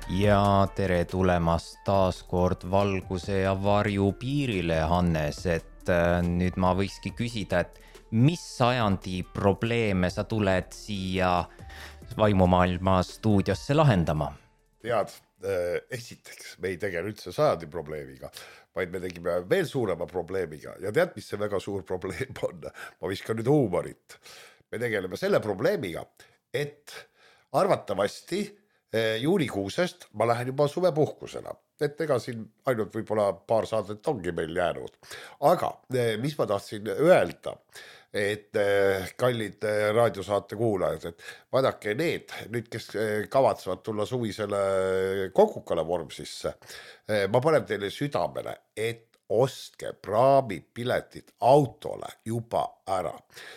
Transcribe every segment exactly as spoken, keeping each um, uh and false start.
Ja tere tulemast taas kord valguse ja varju piirile, Hannes, et nüüd ma võikski küsida, et mis sajandi probleeme sa tuled siia vaimumaailma stuudiosse lahendama? Tead, esiteks, me ei tegele üldse sajandi probleemiga, vaid me tegime veel suurema probleemiga ja tead, mis see väga suur probleem on? Ma viskan nüüd huumorit. Me tegeleme selle probleemiga, et arvatavasti juunikuusest ma lähen juba suvepuhkusena, et ega siin ainult võib-olla paar saadet ongi meil jäänud. Aga mis ma tahtsin öelda, et kallid raadiosaate kuulajad, et vaadake need, nüüd kes kavatsevad tulla suvisele Kokukale vormsisse, ma panen teile südamele, et ostke praamipiletid autole juba ära.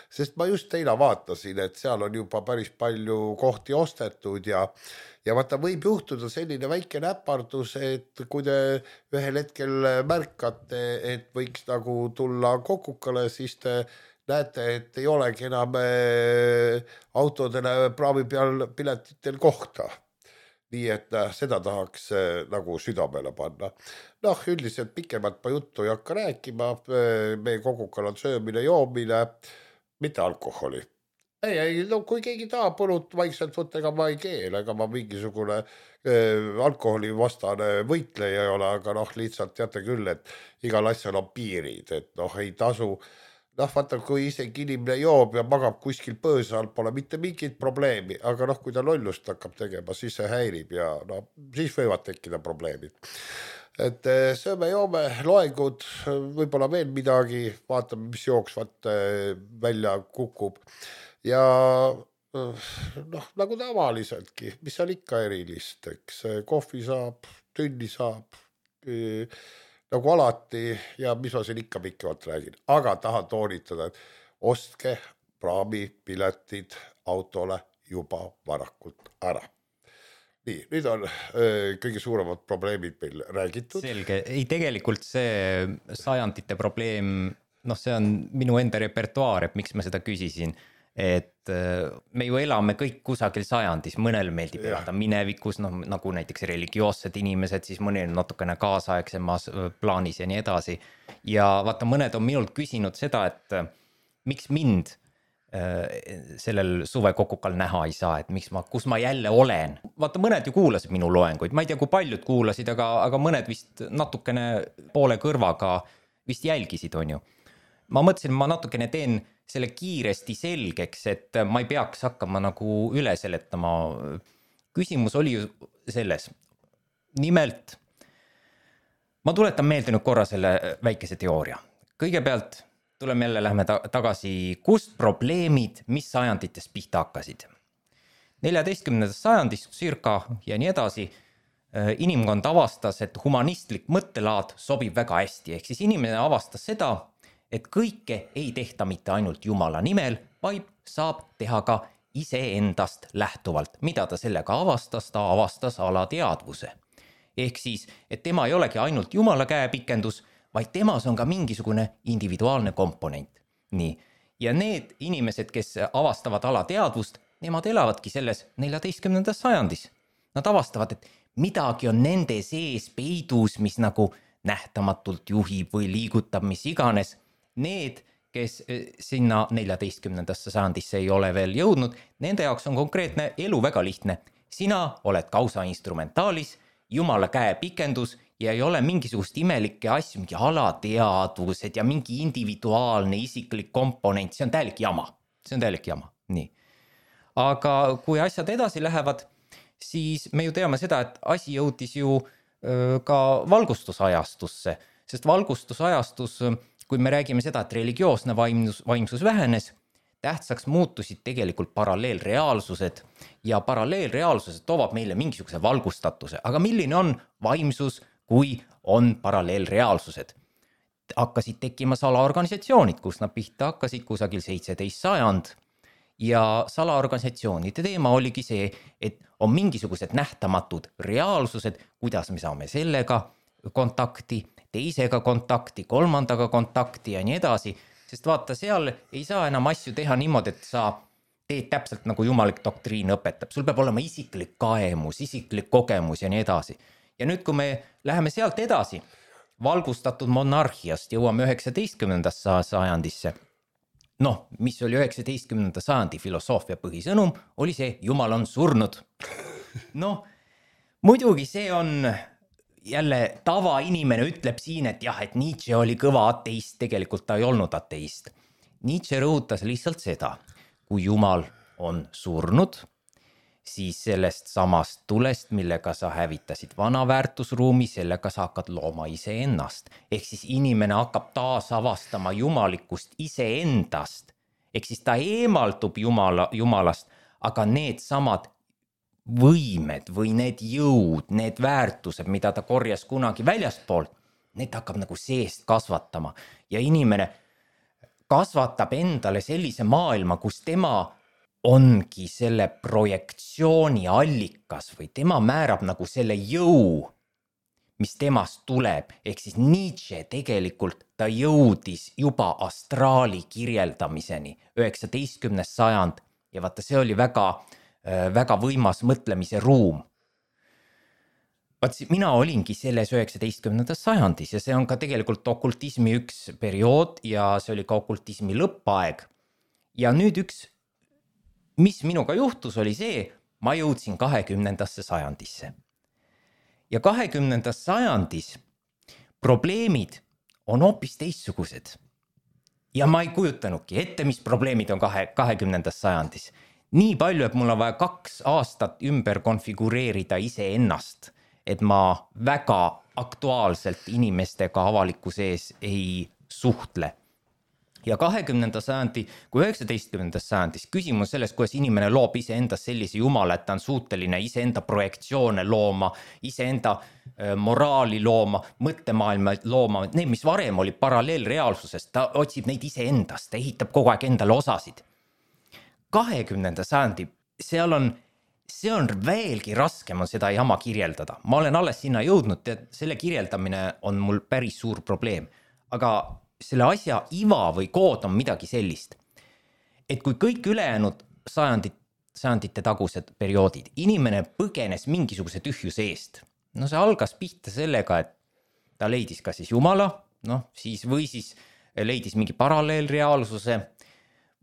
Sest ma just teile vaatasin, et seal on juba päris palju kohti ostetud ja Ja vaata, võib juhtuda selline väike näpardus, et kui te ühel hetkel märkate, et võiks nagu tulla Kokukale, siis te näete, et ei olegi enam autodele praami peal piletitel kohta. Nii et seda tahaks nagu südamele panna. Noh, üldiselt pikemalt ma juttu ei hakka rääkima. Meie Kokukal on söömine, joomine, mitte alkoholi. Ei, ei, no kui keegi tahab põlut vaikselt võtta, ega ma ei keel, ega ma mingisugune äh, alkoholi vastane võitleja ei ole, aga noh, lihtsalt teate küll, et igal asjal on piirid, et noh, ei tasu. Noh, vaata, kui isegi inimene joob ja magab kuskil põõsa all, pole mitte mingit probleemi, aga noh, kui ta lollust hakkab tegema, siis see häirib ja no, siis võivad tekkida probleemid. Et sööme, joome, loengud, võib-olla veel midagi, vaatame, mis jooksvat välja kukub. Ja noh, nagu tavaliseltki, mis seal ikka erilist, eks kohvi saab, tünni saab, nagu alati ja mis ma siin ikka pikemalt räägin. Aga tahan toonitada, et ostke praamipiletid autole juba varakult ära. Nii, nüüd on öö, kõige suuremad probleemid meil räägitud. Selge, ei tegelikult see sajandite probleem, noh see on minu enda repertuaar, et miks ma seda küsisin. Et me ju elame kõik kusagil sajandis, mõnel meeldib elada minevikus, no, nagu näiteks religioossed inimesed, siis mõnel natukene kaasaegsemas plaanis ja nii edasi. Ja vaata, mõned on minult küsinud seda, et miks mind sellel suve Kokukal näha ei saa, et miks ma, kus ma jälle olen. Vaata, mõned ju kuulasid minu loenguid, ma ei tea, kui paljud kuulasid, aga, aga mõned vist natukene poole kõrvaga vist jälgisid, on ju. Ma mõtlesin, ma natukene teen selle kiiresti selgeks, et ma ei peaks hakkama nagu üle seletama. Küsimus oli ju selles. Nimelt, ma tuletan meelde nüüd korra selle väikese teooria. Kõigepealt tuleme jälle, lähme tagasi, kust probleemid, mis sajandites pihta hakkasid. neljateistkümnendast sajandist circa ja nii edasi, inimkond avastas, et humanistlik mõttelaad sobib väga hästi. Ehk siis inimene avastas seda, et kõike ei tehta mitte ainult Jumala nimel, vaid saab teha ka iseendast lähtuvalt. Mida ta sellega avastas? Ta avastas alateadvuse. Ehk siis, et tema ei olegi ainult Jumala käepikendus, vaid temas on ka mingisugune individuaalne komponent. Nii. Ja need inimesed, kes avastavad alateadvust, nemad elavadki selles neljateistkümnendas sajandis. Nad avastavad, et midagi on nende sees peidus, mis nagu nähtamatult juhib või liigutab, mis iganes. Need, kes sinna neljateistkümnendasse sajandisse ei ole veel jõudnud, nende jaoks on konkreetne elu väga lihtne. Sina oled kausa instrumentaalis, Jumala käe pikendus ja ei ole mingisugust imelikke asju, mingi alateadvused ja mingi individuaalne isiklik komponent. See on täielik jama. See on täielik jama. Nii. Aga kui asjad edasi lähevad, siis me ju teame seda, et asi jõudis ju öö, ka valgustusajastusse, sest valgustusajastus, kui me räägime seda, et religioosne vaimsus, vaimsus vähenes, tähtsaks muutusid tegelikult paralleelreaalsused ja paralleelreaalsused toovad meile mingisuguse valgustatuse. Aga milline on vaimsus, kui on paralleelreaalsused? Hakkasid tekkima salaorganisatsioonid, kus nad pihta hakkasid kusagil seitseteist sajand ja salaorganisatsioonide teema oligi see, et on mingisugused nähtamatud reaalsused, kuidas me saame sellega kontakti, teisega kontakti, kolmandaga kontakti ja nii edasi, sest vaata, seal ei saa enam asju teha niimoodi, et sa teed täpselt nagu jumalik doktriin õpetab, sul peab olema isiklik kaemus, isiklik kogemus ja nii edasi. Ja nüüd, kui me läheme sealt edasi, valgustatud monarhiast jõuame üheksateistkümnendasse sajandisse. Noh, mis oli üheksateistkümnenda sajandi filosoofia põhisõnum, oli see, Jumal on surnud. Noh, muidugi see on jälle tavainimene ütleb siin, et jah, et Nietzsche oli kõva ateist, tegelikult ta ei olnud ateist. Nietzsche rõhutas lihtsalt seda, kui Jumal on surnud, siis sellest samast tulest, millega sa hävitasid vana väärtusruumi, sellega sa hakkad looma iseennast. Ehk siis inimene hakkab taas avastama jumalikkust iseendast. Ehk siis ta eemaldub jumala, jumalast, aga need samad võimed või need jõud, need väärtused, mida ta korjas kunagi väljastpoolt, need hakkab nagu seest kasvatama. Ja inimene kasvatab endale sellise maailma, kus tema ongi selle projektsiooni allikas või tema määrab nagu selle jõu, mis temast tuleb. Ehk siis Nietzsche tegelikult ta jõudis juba astraali kirjeldamiseni, üheksateistkümnes sajand ja vaata, see oli väga, väga võimas mõtlemise ruum. Vaat mina olingi selles üheksateistkümnendas sajandis ja see on ka tegelikult okultismi üks periood ja see oli ka okultismi lõppaeg. Ja nüüd üks mis minuga juhtus, oli see, ma jõudsin kahekümnendasse sajandisse. Ja kahekümnendas sajandis probleemid on hoopis teistsugused. Ja ma ei kujutanudki ette, mis probleemid on kahekümnendas sajandis. Nii palju, et mul on vaja kaks aastat ümber konfigureerida iseennast, et ma väga aktuaalselt inimestega avalikkuse ees ei suhtle. Ja kahekümnenda sajandi, kui üheksateistkümnendas sajandis küsimus sellest, kuidas inimene loob iseendas sellise jumala, et ta on suuteline iseenda projektsioone looma, iseenda moraali looma, mõttemaailma looma, need, mis varem oli paralleelreaalsusest, ta otsib neid iseendast, ta ehitab kogu aeg endale osasid. kahekümnenda sajandi, seal on, see on veelgi raskem on seda jama kirjeldada. Ma olen alles sinna jõudnud, et selle kirjeldamine on mul päris suur probleem, aga selle asja iva või kood on midagi sellist, et kui kõik ülejäänud sajandit, sajandite tagused perioodid, inimene põgenes mingisuguse tühjuse eest. No see algas pihta sellega, et ta leidis ka siis Jumala, noh, siis või siis leidis mingi paralleelreaalsuse,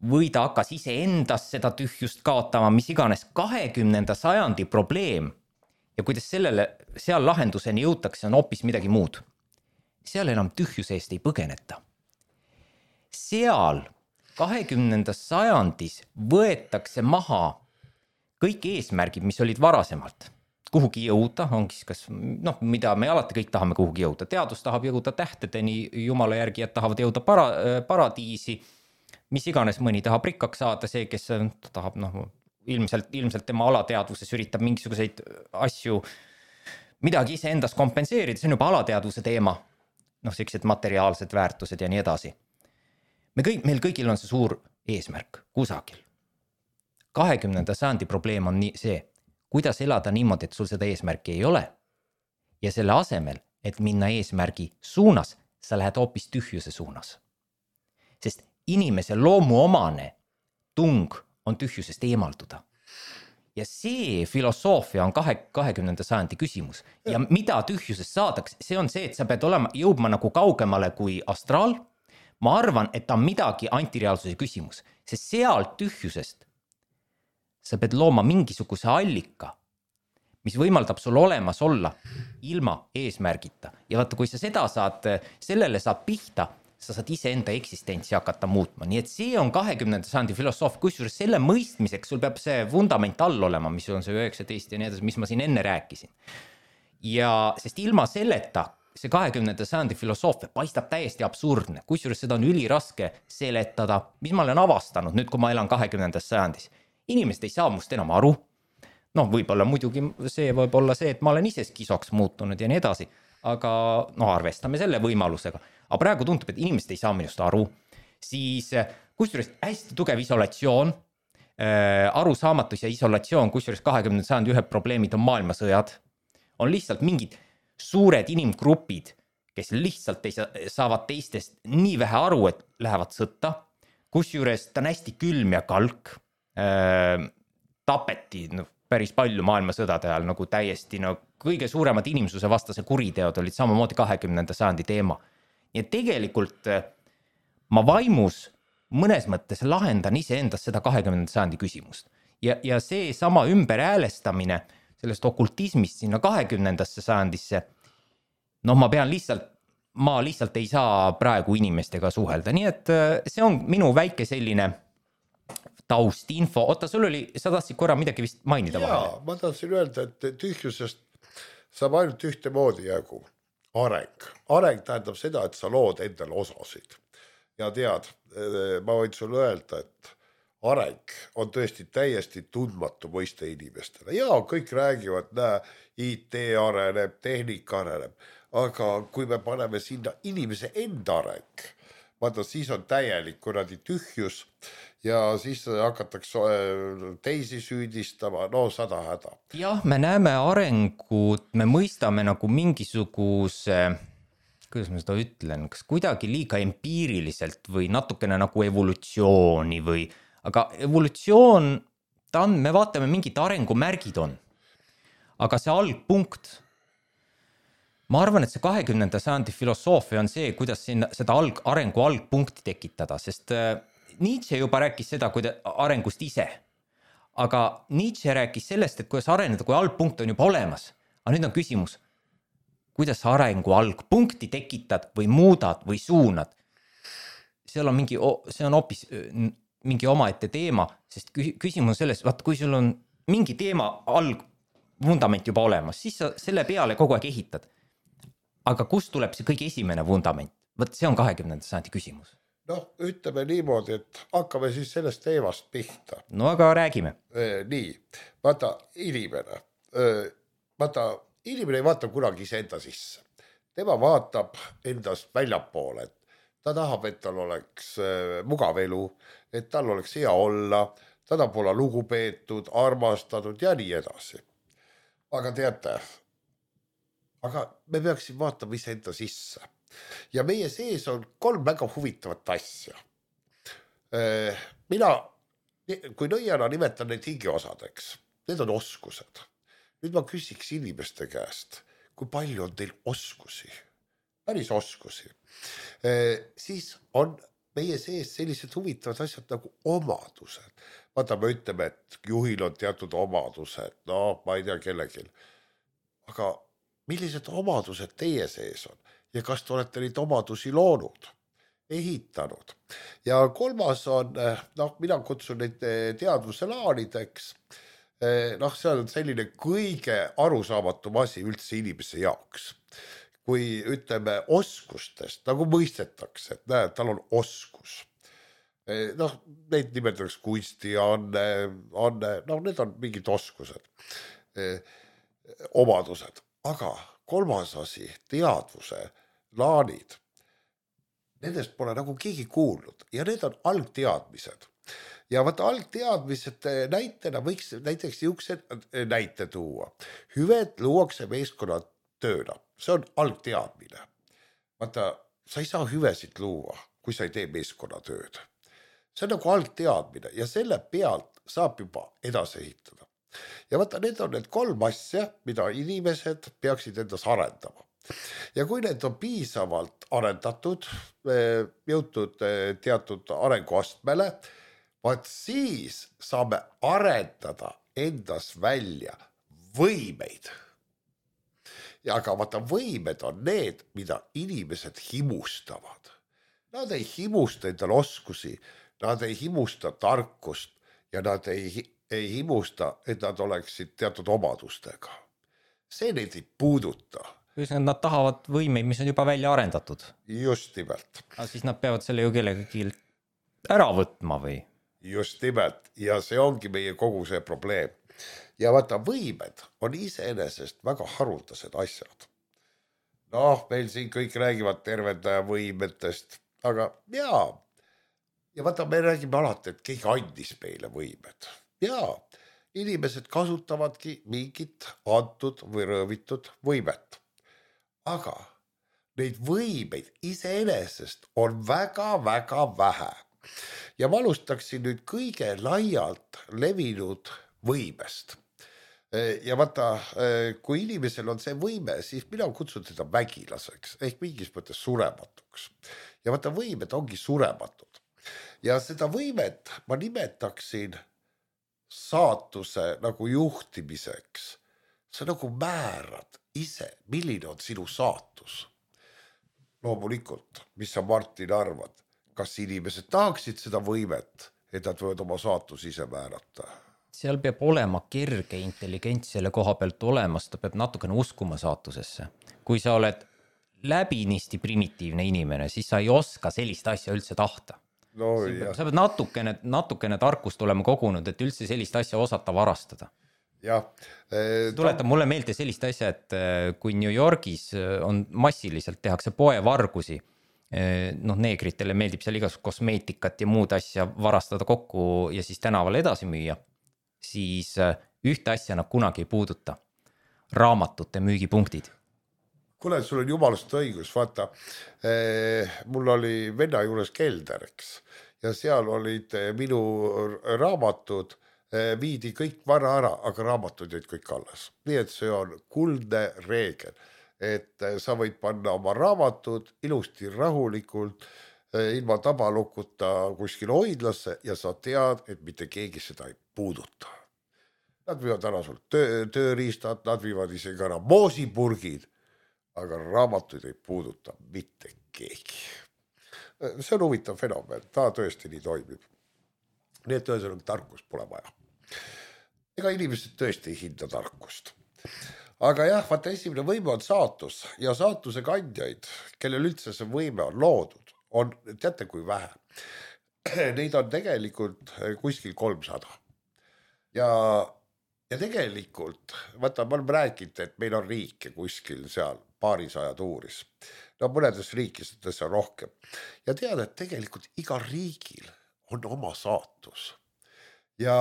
või ta hakkas ise endas seda tühjust kaotama, mis iganes kahekümnenda sajandi probleem ja kuidas sellele, seal lahenduseni jõutakse, on hoopis midagi muud. Seal enam tühjuse eest ei põgeneta. Seal kahekümnendas sajandis võetakse maha kõik eesmärgid, mis olid varasemalt. Kuhugi jõuda, ongi kas, noh, mida me alati kõik tahame kuhugi jõuda. Teadus tahab jõuda tähtedeni, jumala järgijad tahavad jõuda para, paradiisi, mis iganes mõni tahab rikkaks saada, see, kes tahab, noh, ilmselt, ilmselt tema alateadvuses üritab mingisuguseid asju, midagi ise endas kompenseerida, see on juba alateadvuse teema. Noh, sellised materiaalsed väärtused ja nii edasi. Me kõik, meil kõigil on see suur eesmärk kusagil. kahekümnenda sajandi probleem on nii, see, kuidas elada niimoodi, et sul seda eesmärki ei ole. Ja selle asemel, et minna eesmärgi suunas, sa lähed hoopis tühjuse suunas. Sest inimese loomuomane tung on tühjusest eemalduda. Ja see filosoofia on kahekümnenda sajandi küsimus. Ja mida tühjusest saadaks, see on see, et sa pead olema, jõudma nagu kaugemale kui astraal. Ma arvan, et ta on midagi antireaalsuse küsimus, sest seal tühjusest sa pead looma mingisuguse allika, mis võimaldab sul olemas olla ilma eesmärgita. Ja vaata, kui sa seda saad, sellele saad pihta, sa saad ise enda eksistentsi hakata muutma. Nii et see on kahekümnenda sajandi filosoofia, kusjuures selle mõistmiseks sul peab see vundament all olema, mis on see üheksateist ja nii edasi, mis ma siin enne rääkisin. Ja sest ilma selleta see kahekümnenda sajandi filosoofia paistab täiesti absurdne, kusjuures seda on üliraske seletada, mis ma olen avastanud nüüd, kui ma elan kahekümnendas sajandis. Inimesed ei saa must enam aru. Noh, võib-olla muidugi see võib olla see, et ma olen ise skisoks muutunud ja nii edasi, aga no arvestame selle võimalusega. Aga praegu tundub, et inimesed ei saa minust aru. Siis kusjuures hästi tugev isolatsioon, äh, arusaamatus ja isolatsioon, kusjuures kahekümnenda sajandi ühed probleemid on maailmasõjad. On lihtsalt mingid suured inimgrupid, kes lihtsalt ei saa, saavad teistest nii vähe aru, et lähevad sõtta. Kusjuures ta on hästi külm ja kalk. äh, tapeti no, päris palju maailmasõdade ajal nagu täiesti no, kõige suuremad inimsuse vastase kuriteod olid samamoodi kahekümnenda sajandi teema. Ja tegelikult ma vaimus mõnes mõttes lahendan ise endas seda kahekümnenda sajandi küsimust. Ja, ja see sama ümberhäälestamine sellest okultismist sinna kahekümnendasse sajandisse, noh ma pean lihtsalt, ma lihtsalt ei saa praegu inimestega suhelda. Nii et see on minu väike selline taustinfo. Oota, sul oli, sa tahtsid korra midagi vist mainida vahel? Jaa, ma tahtsin öelda, et tühjusest saab ainult ühte moodi jagu. Areng. Areng tähendab seda, et sa lood endale osasid. Ja tead, ma võin sulle öelda, et areng on tõesti täiesti tundmatu mõiste inimestele. Jaa, kõik räägivad, näe, I T areneb, tehnika areneb, aga kui me paneme sinna inimese enda areng, vaata, siis on täielik kuradi tühjus ja siis hakatakse teisi süüdistama, no sada häda. Jah, me näeme arengut, me mõistame nagu mingisuguse, kuidas ma seda ütlen, kas kuidagi liiga empiiriliselt või natukene nagu evolutsiooni või, aga evolutsioon, ta on, me vaatame mingid arengumärgid on, aga see algpunkt, ma arvan, et see kahekümnenda sajandi filosoofia on see, kuidas sinna, seda alg, arengu algpunkti tekitada, sest Nietzsche juba rääkis seda kui arengust ise, aga Nietzsche rääkis sellest, et kuidas areneda, kui algpunkt on juba olemas. Aga nüüd on küsimus, kuidas arengu algpunkti tekitad või muudad või suunad. Seal on mingi, see on hoopis mingi omaette teema, sest küsimus on selles, vaata, kui sul on mingi teema algvundament juba olemas, siis sa selle peale kogu aeg ehitad. Aga kust tuleb see kõige esimene vundament? Võt, see on kahekümnenda sajandi küsimus. Noh, ütleme niimoodi, et hakkame siis sellest teemast pihta. No aga räägime. Nii, vaata, inimene. Vaata, inimene ei vaata kunagi ise enda sisse. Tema vaatab endast väljapoole. Ta tahab, et tal oleks mugav elu, et tal oleks hea olla, ta tahab olla lugupeetud, armastatud ja nii edasi. Aga teate, aga me peaksime vaatama ise enda sisse. Ja meie sees on kolm väga huvitavat asja. Mina, kui nõiana nimetan neid hingiosadeks, need on oskused. Nüüd ma küsiks inimeste käest, kui palju on teil oskusi, päris oskusi. Siis on meie sees sellised huvitavad asjad nagu omadused. Vaata, me ütleme, et juhil on teatud omadused, no ma ei tea kellegil. Aga millised omadused teie sees on? Ja kas te olete neid omadusi loonud, ehitanud? Ja kolmas on, noh, mina kutsun neid teadvuse laanideks. Noh, see on selline kõige arusaamatum asi üldse inimese jaoks. Kui ütleme oskustest, nagu mõistetakse, et näe, tal on oskus. Noh, neid nimetatakse kunsti, anne, anne, noh, need on mingid oskused, omadused. Aga kolmas asi, teadvuse laanid, nendest pole nagu keegi kuulnud ja need on algteadmised. Ja vaata algteadmised näitena võiks näiteks niisugused näite tuua. Hüved luuakse meeskonna tööna, see on algteadmine. Vaata, sa ei saa hüvesid luua, kui sa ei tee meeskonna tööd. See on nagu algteadmine ja selle pealt saab juba edasi ehitada. Ja vaata, need on need kolm asja, mida inimesed peaksid endas arendama. Ja kui need on piisavalt arendatud, jõutud teatud arenguastmele, vaat siis saame arendada endas välja võimeid. Ja aga vaata, võimed on need, mida inimesed himustavad. Nad ei himusta endal oskusi, nad ei himusta tarkust ja nad ei ei himusta, et nad oleksid teatud omadustega. See neid ei puuduta. Nad tahavad võimeid, mis on juba välja arendatud. Just nimelt. Aga siis nad peavad selle ju kellegi ära võtma või? Just nimelt. Ja see ongi meie kogu see probleem. Ja vaata, võimed on iseenesest väga haruldased asjad. Noh, meil siin kõik räägivad tervendaja võimetest, aga jaa. Ja vaata, me räägime alati, et keegi andis meile võimed. Jaa, inimesed kasutavadki mingit antud või rõõvitud võimet. Aga neid võimeid iseenesest on väga-väga vähe. ja ma alustaksin nüüd kõige laialt levinud võimest. Ja vaata, kui inimesel on see võime, siis mina kutsun teda vägilaseks ehk mingis mõttes surematuks. Ja vaata, võimed ongi surematud. Ja seda võimet ma nimetaksin saatuse nagu juhtimiseks. Sa nagu määrad ise, milline on sinu saatus. Loomulikult, mis sa Martin arvad, kas inimesed tahaksid seda võimet, et nad võivad oma saatus ise määrata? Seal peab olema kerge intelligents selle koha pealt olemas, ta peab natukene uskuma saatusesse. Kui sa oled läbinisti primitiivne inimene, siis sa ei oska sellist asja üldse tahta. No, sa, sa pead natukene, natukene tarkust olema kogunud, et üldse sellist asja osata varastada. Ja, eh, tuletab ta... mulle meelde sellist asja, et kui New Yorgis on massiliselt tehakse poevargusi, noh, neegritele meeldib seal igasugust kosmeetikat ja muud asja varastada kokku ja siis tänaval edasi müüa, siis ühte asja nad kunagi ei puuduta. Raamatute müügipunktid. Kuule, sul on jumalast õigus, vaata, eh, mul oli venna juures kelder, eks, ja seal olid minu raamatud, eh, viidi kõik vara ära, aga raamatud jäid kõik alles. Nii et see on kuldne reegel, et sa võid panna oma raamatud ilusti rahulikult, eh, ilma tabalukuta kuskil hoidlasse ja sa tead, et mitte keegi seda ei puuduta. Nad viivad ära sul töö, tööriistad, nad viivad isegi ära moosipurgid, aga raamatuid ei puuduta mitte keegi. See on huvitav fenomen, ta tõesti nii toimib. Nii et ühesõnaga tarkust pole vaja. Ega inimesed tõesti ei hinda tarkust. Aga jah, vaata, esimene võime on saatus ja saatuse kandjaid, kellel üldse see võime on loodud, on, teate kui vähe. Neid on tegelikult kuskil kolmsada. Ja Ja tegelikult, vaata, ma olen rääkinud, et meil on riike kuskil seal paarisaja tuuris. No mõnedes riikides on rohkem. Ja tead, et tegelikult igal riigil on oma saatus. Ja,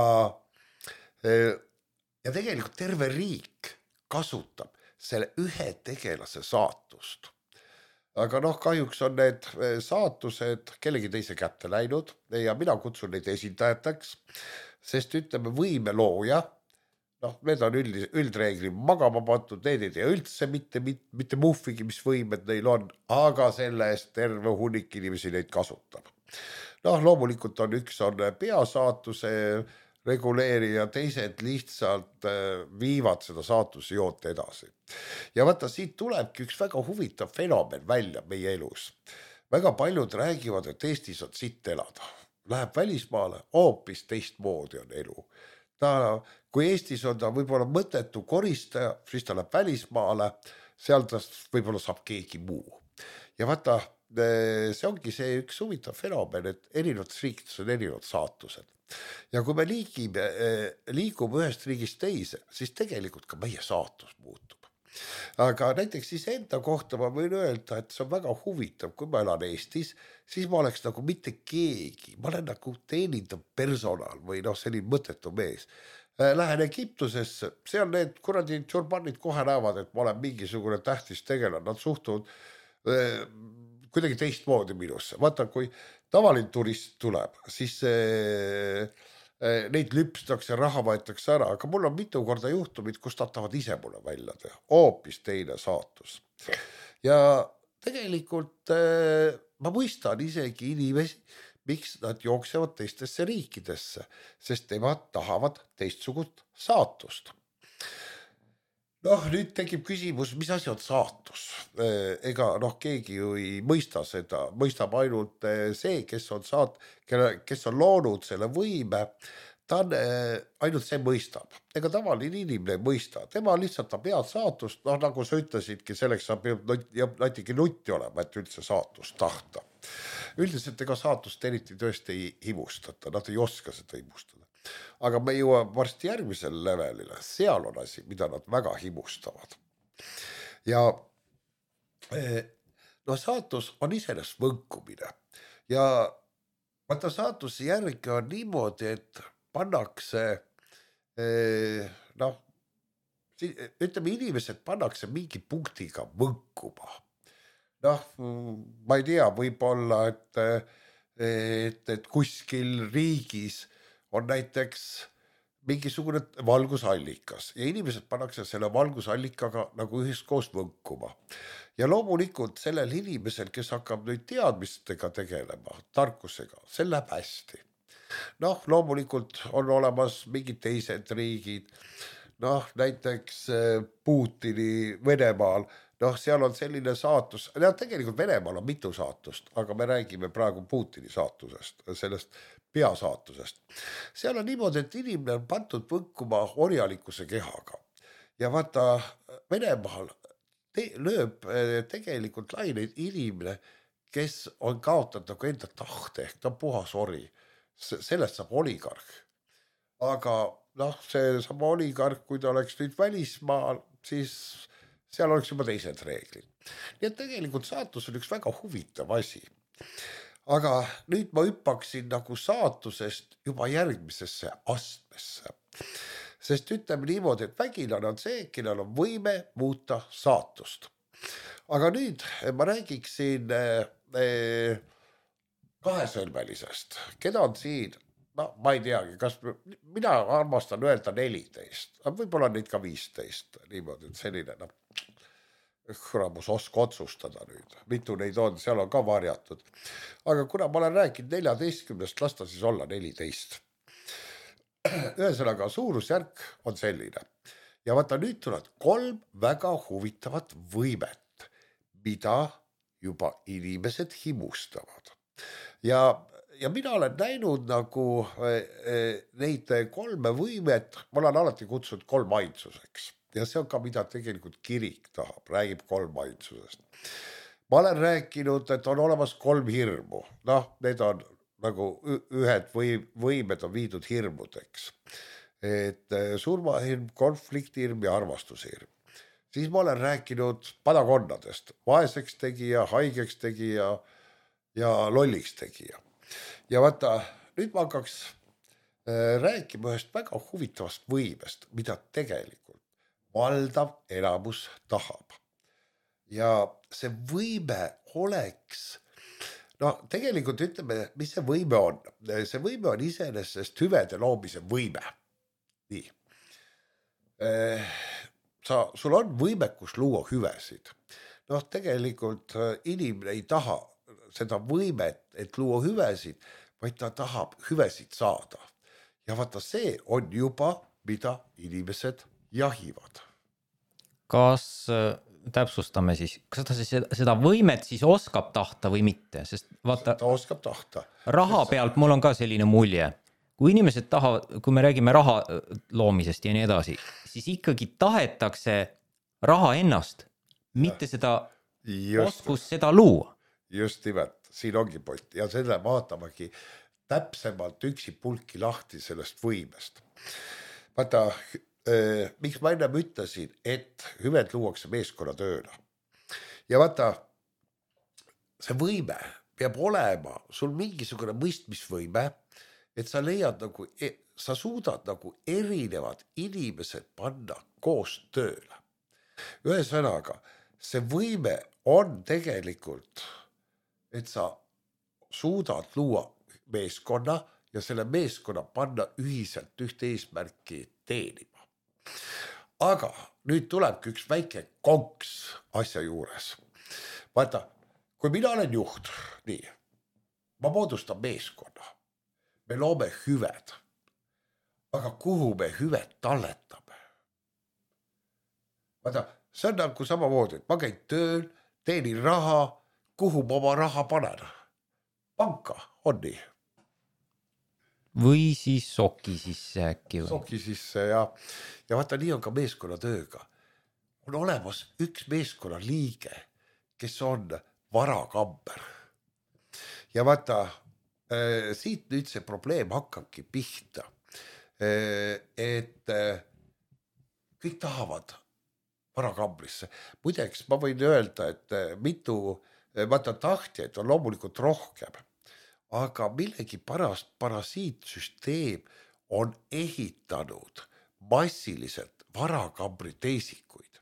ja tegelikult terve riik kasutab selle ühe tegelase saatust. Aga noh, kahjuks on need saatused kellegi teise kätte läinud ja mina kutsun neid esindajateks, sest ütleme võime looja, noh, need on üld, üldreegli magama pandud, need ei tea üldse mitte, mitte, mitte muhvigi, mis võimed neil on, aga selle eest terve hunnik inimesi neid kasutab. Noh, loomulikult on üks on peasaatuse reguleerija, teised lihtsalt viivad seda saatuse joont edasi. Ja vaata, siit tulebki üks väga huvitav fenomen välja meie elus. Väga paljud räägivad, et Eestis on sitt elada. Läheb välismaale, hoopis teistmoodi on elu. Ta, kui Eestis on ta võib-olla mõttetu koristaja, siis ta läheb välismaale, seal ta võib-olla saab keegi muu. Ja vaata, see ongi see üks huvitav fenomen, et erinevates riikides on erinevad saatused. Ja kui me liigime, liigume ühest riigist teise, siis tegelikult ka meie saatus muutub. Aga näiteks siis enda kohta ma võin öelda, et see on väga huvitav, kui ma elan Eestis, siis ma oleks nagu mitte keegi, ma olen nagu teenindav personal või noh, selline mõttetu mees. Lähen Egiptusesse, seal need kuradi tšurbanid kohe näevad, et ma olen mingisugune tähtis tegelane, nad suhtuvad eh, kuidagi teistmoodi minusse. Vaata, kui tavaline turist tuleb, siis eh, eh, neid lüpstakse, raha võetakse ära, aga mul on mitu korda juhtumid, kus nad tahavad ise mulle välja teha, hoopis teine saatus. Ja tegelikult eh, ma mõistan isegi inimesi, miks nad jooksevad teistesse riikidesse, sest nemad tahavad teistsugust saatust. Noh, nüüd tekib küsimus, mis asi on saatus? Ega noh, keegi ju ei mõista seda, mõistab ainult see, kes on, saat, kes on loonud selle võime, ta on, ainult see mõistab. Ega tavaline inimene ei mõista. Tema lihtsalt ta pead saatust, noh nagu sa ütlesidki, selleks sa peab natuke nutti olema, et üldse saatust tahta. Üldiselt ega saatust eriti tõesti ei himustata, nad ei oska seda himustada. Aga me jõuame varsti järgmisel levelile, seal on asi, mida nad väga himustavad. Ja no saatus on iseenesest võnkumine. Ja vaata saatuse järgi on niimoodi, et pannakse, noh, ütleme inimesed pannakse mingi punktiga võnkuma. Noh, ma ei tea, võib-olla, et et, et kuskil riigis on näiteks mingisugune valgusallikas ja inimesed pannakse selle valgusallikaga nagu üheskoos võnkuma. Ja loomulikult sellel inimesel, kes hakkab nüüd teadmistega tegelema, tarkusega, see läheb hästi. Noh, loomulikult on olemas mingid teised riigid, noh, näiteks Putini Venemaal, noh, seal on selline saatus, ja tegelikult Venemaal on mitu saatust, aga me räägime praegu Putini saatusest, sellest peasaatusest. Seal on niimoodi, et inimene on pandud võnkuma orjalikkuse kehaga. Ja vaata, Venemaal te lööb tegelikult laineid inimene, kes on kaotanud enda tahte, ehk ta on puhas ori. Sellest saab oligarh. Aga noh, see sama oligarh, kui ta oleks nüüd välismaal, siis seal oleks juba teised reeglid. Nii et tegelikult saatus on üks väga huvitav asi. Aga nüüd ma hüppaksin nagu saatusest juba järgmisesse astmesse. Sest ütleme niimoodi, et vägilane on see, kellel on võime muuta saatust. Aga nüüd ma räägiksin eh, kahesõlmelisest. Keda on siin? No, ma ei teagi, kas mina armastan öelda neliteist. Võib-olla neid ka viisteist. Niimoodi, et selline noh. Kuramus oska otsustada nüüd, mitu neid on, seal on ka varjatud. Aga kuna ma olen rääkinud neljateistkümnest, lasta siis olla neliteist. Ühesõnaga, suurusjärk on selline. Ja vaata, nüüd tuleb kolm väga huvitavat võimet, mida juba inimesed himustavad. Ja, ja mina olen näinud nagu neid kolme võimet, ma olen alati kutsunud kolm ainsuseks. Ja see on ka, mida tegelikult kirik tahab, räägib kolm ainsusest. Ma olen rääkinud, et on olemas kolm hirmu. Noh, need on nagu ühed võimed on viidud hirmudeks. Et surmahirm, konfliktihirm ja armastushirm. Siis ma olen rääkinud padakonnadest. Vaeseks tegija, haigeks tegija ja lolliks tegija. Ja vaata, nüüd ma hakkaks rääkima ühest väga huvitavast võimest, mida tegelikult valdav elamus tahab. Ja see võime oleks, no tegelikult ütleme, mis see võime on. See võime on iseenesest hüvede loomise võime. Nii. Sa, sul on võimekus luua hüvesid. Noh, tegelikult inimene ei taha seda võimet, et luua hüvesid, vaid ta tahab hüvesid saada. Ja vaata, see on juba, mida inimesed jahivad. Kas täpsustame siis, kas ta siis seda võimet siis oskab tahta või mitte? Sest vaata, ta oskab tahta. Raha pealt mul on ka selline mulje. Kui inimesed tahavad, kui me räägime raha loomisest ja nii edasi, siis ikkagi tahetakse raha ennast, mitte seda just, oskus seda luua. Just nimelt, siin ongi point. Ja selle vaatamagi täpsemalt üksi pulki lahti sellest võimest. Vaata, äh, miks ma ennem ütlesin, et hüved luuakse meeskonna tööna. Ja vaata, see võime peab olema sul mingisugune mõistmisvõime, et sa leiad nagu, sa suudad nagu erinevad inimesed panna koos tööle. Ühesõnaga, see võime on tegelikult, et sa suudad luua meeskonna ja selle meeskonna panna ühiselt ühte eesmärki teenima. Aga nüüd tulebki üks väike konks asja juures. Vaata, kui mina olen juht, nii, ma moodustan meeskonna, me loome hüved, aga kuhu me hüved talletame? Vaata, see on nagu samamoodi, et ma käin tööl, teenin raha, kuhu ma oma raha panen? Panka, on nii. Või siis soki sisse äkki või? Soki sisse ja, ja vaata, nii on ka meeskonna tööga. On olemas üks meeskonna liige, kes on varakamber. Ja vaata, äh, siit nüüd see probleem hakkabki pihta. Äh, et äh, kõik tahavad varakambrisse. Muideks ma võin öelda, et äh, mitu, äh, vaata tahtjaid on loomulikult rohkem. Aga millegi parast parasiitsüsteem on ehitanud massiliselt varakambri teisikuid.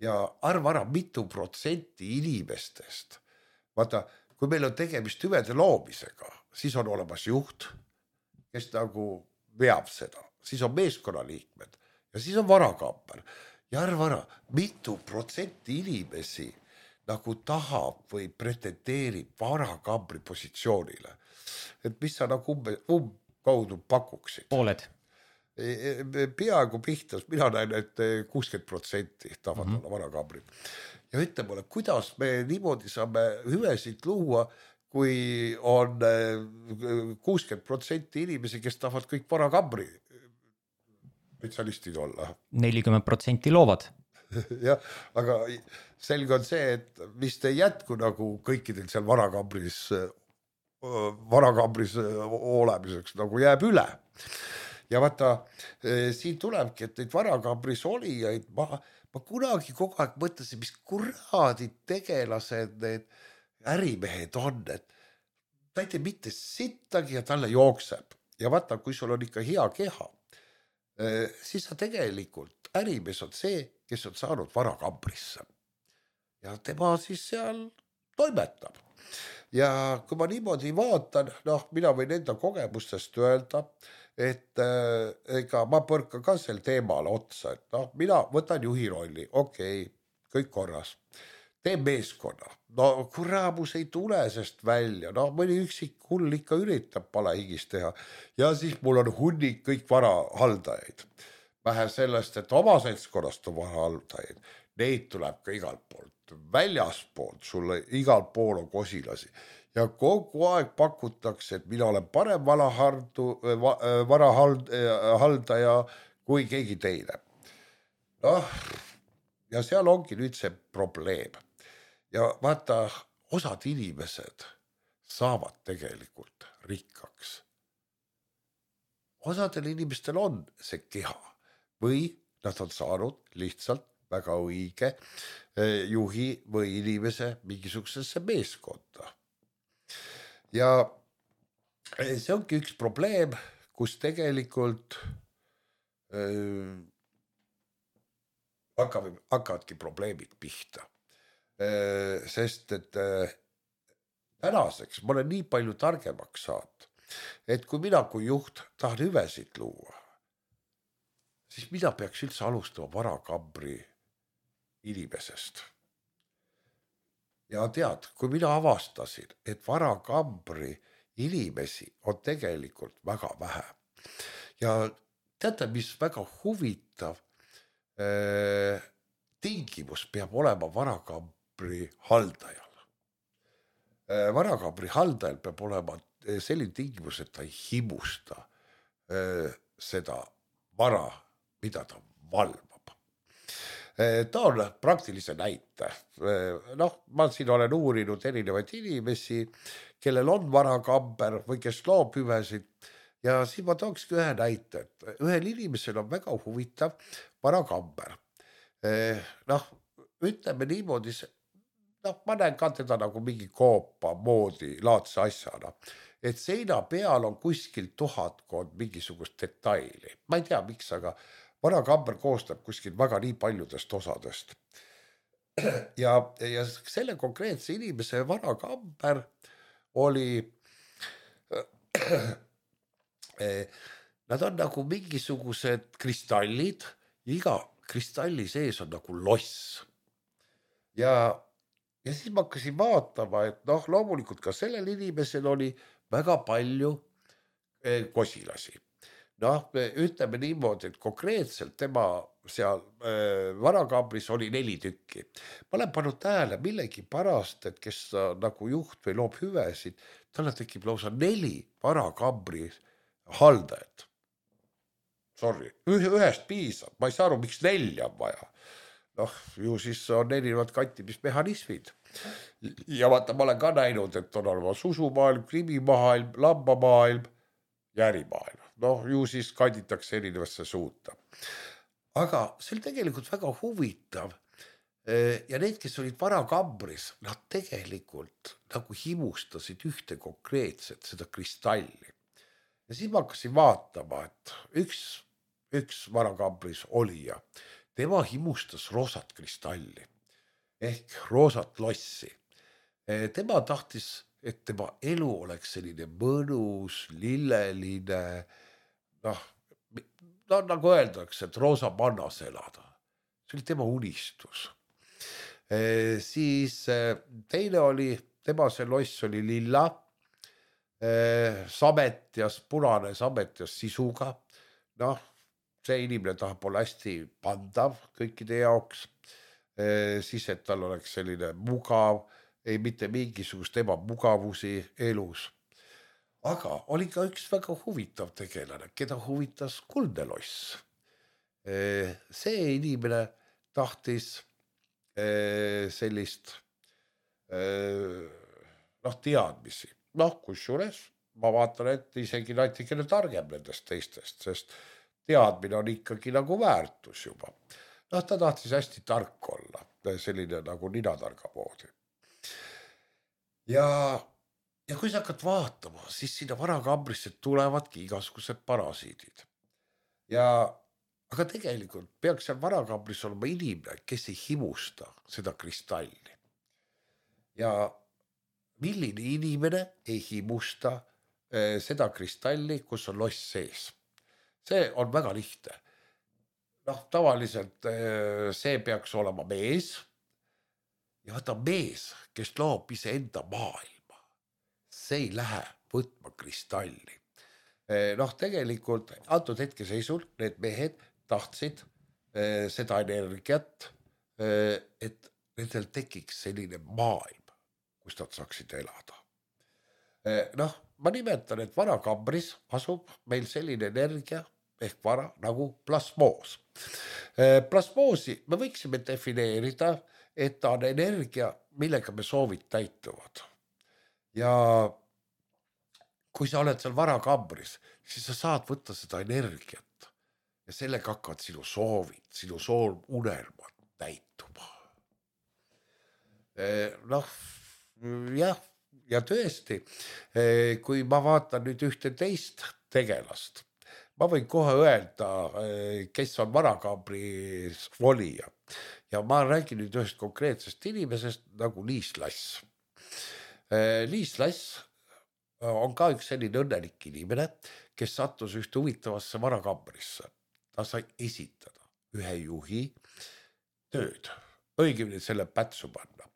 Ja arva ära mitu protsenti inimestest. Vaata, kui meil on tegemist hüvede loomisega, siis on olemas juht, kes nagu veab seda, siis on meeskonnaliikmed ja siis on varakamber. Ja arva ära, mitu protsenti inimesi nagu tahab või pretendeerib varakambri positsioonile. Et mis sa nagu umbe, um kaudu pakuksid? Pooled. Peaaegu pihtas, mina näen, et kuuskümmend protsenti tahavad mm-hmm. olla varakambrid. Ja ütle mulle, kuidas me niimoodi saame hüvesid luua, kui on kuuskümmend protsenti inimesi, kes tahavad kõik varakambri spetsialistid olla. nelikümmend protsenti loovad. jah, aga selge on see, et vist ei jätku nagu kõikidel seal varakambris, varakambris olemiseks nagu jääb üle. Ja vaata, siin tulebki, et neid varakambris olijaid, ma, ma kunagi kogu aeg mõtlesin, mis kuradi tegelased need ärimehed on, et ta ei tee mitte sittagi ja talle jookseb. Ja vaata, kui sul on ikka hea keha, siis sa tegelikult ärimees on see, kes on saanud varakambrisse. Ja tema siis seal toimetab. Ja kui ma niimoodi vaatan, noh, mina võin enda kogemustest öelda, et äh, ega ma põrkan ka sel teemale otsa, et noh, mina võtan juhi rolli, okei, okay, kõik korras. Tee meeskonna. No kuramus ei tule sest välja, no mõni üksik hull ikka üritab palehigis teha ja siis mul on hunnik kõik varahaldajaid. Vähe sellest, et oma seltskonnast on varahaldajaid, neid tuleb ka igalt poolt, väljaspoolt, sulle igalt pool on kosilasi ja kogu aeg pakutakse, et mina olen parem varahardu, varahaldaja kui keegi teine. Noh, ja seal ongi nüüd see probleem. Ja vaata, osad inimesed saavad tegelikult rikkaks. Osadel inimestel on see keha või nad on saanud lihtsalt väga õige juhi või inimese mingisugusesse meeskonda. Ja see ongi üks probleem, kus tegelikult äh, hakkavad, hakkavadki probleemid pihta. Äh, sest et äh, tänaseks ma olen nii palju targemaks saanud, et kui mina kui juht tahan hüvesid luua, siis mida peaks üldse alustama varakambri inimesest. Ja tead, kui mina avastasin, et varakambri inimesi on tegelikult väga vähe. Ja teate, mis väga huvitav äh, tingimus peab olema varakambri haldajal. Äh, varakambri haldajal peab olema selline tingimus, et ta ei himusta äh, seda vara, mida ta valvab. Ta on praktilise näite. Noh, ma siin olen uurinud erinevaid inimesi, kellel on varakamber või kes loob hüvesid. Ja siin ma tookski ühe näite, et ühel inimesel on väga huvitav varakamber. Noh, ütleme niimoodi, noh, ma näen ka teda nagu mingi koopa moodi laadse asjana, et seina peal on kuskil tuhatkond mingisugust detaili. Ma ei tea, miks, aga varakamber koostab kuskil väga nii paljudest osadest. Ja, ja selle konkreetse inimese varakamber oli, nad on nagu mingisugused kristallid, iga kristalli sees on nagu loss. Ja, ja siis ma hakkasin vaatama, et noh, loomulikult ka sellel inimesel oli väga palju kosilasi. Noh, ütleme niimoodi, et konkreetselt tema seal äh, varakambris oli neli tükki. Ma olen pannud tähele millegi pärast, et kes nagu juht või loob hüvesid, talle tekib lausa neli varakambri haldajat. Sorry, ühest piisab, ma ei saa aru, miks nelja on vaja. Noh, ju siis on erinevad kantimismehhanismid. Ja vaata, ma olen ka näinud, et on olemas usumaailm, krimimaailm, lambamaailm ja ärimaailm. Noh, ju siis kanditakse erinevasse suuta. Aga see oli tegelikult väga huvitav. Ja need, kes olid varakambris, nad tegelikult nagu himustasid ühte konkreetset seda kristalli. Ja siis ma hakkasin vaatama, et üks, üks varakambris olija, tema himustas roosat kristalli ehk roosat lossi. tema tahtis, et tema elu oleks selline mõnus, lilleline, noh, no nagu öeldakse, et roosa mannas elada. See oli tema unistus. E, siis teine oli, tema see loss oli lilla, e, sametjas, punane sametjas sisuga. Noh, see inimene tahab olla hästi pandav kõikide jaoks. E, siis, et tal oleks selline mugav, ei mitte mingisugust ebamugavusi elus. Aga oli ka üks väga huvitav tegelane, keda huvitas kuldne loss. See inimene tahtis sellist noh, teadmisi. Noh, kusjuures ma vaatan, et isegi natikene targem nendest teistest, sest teadmine on ikkagi nagu väärtus juba. Noh, ta tahtis hästi tark olla, selline nagu ninatarga moodi. Ja, ja kui sa hakkad vaatama, siis sinna varakambrisse tulevadki igasugused parasiidid. Ja, aga tegelikult peaks seal varakambris olema inimene, kes ei himusta seda kristalli. Ja milline inimene ei himusta eh, seda kristalli, kus on loss sees? See on väga lihtne. Noh, tavaliselt eh, see peaks olema mees. Ja vaata mees, kes loob ise enda maailma, see ei lähe võtma kristalli. Noh, tegelikult antud hetke seisul need mehed tahtsid seda energiat, et nendel tekiks selline maailm, kus nad saaksid elada. Noh, ma nimetan, et varakambris asub meil selline energia ehk vara nagu plasmoos. Plasmoosi me võiksime defineerida, et ta on energia, millega me soovid täituvad. Ja kui sa oled seal varakambris, siis sa saad võtta seda energiat ja sellega hakkavad sinu soovid, sinu soov unelmad täituma. Noh, jah, ja tõesti, kui ma vaatan nüüd ühte teist tegelast, ma võin kohe öelda, kes on varakambris volija. Ja ma räägin nüüd ühest konkreetsest inimesest nagu Liis Lass. Liis Lass on ka üks selline õnnelik inimene, kes sattus ühte huvitavasse varakambrisse. Ta sai esitada ühe juhi tööd, õigemini selle pätsu panna.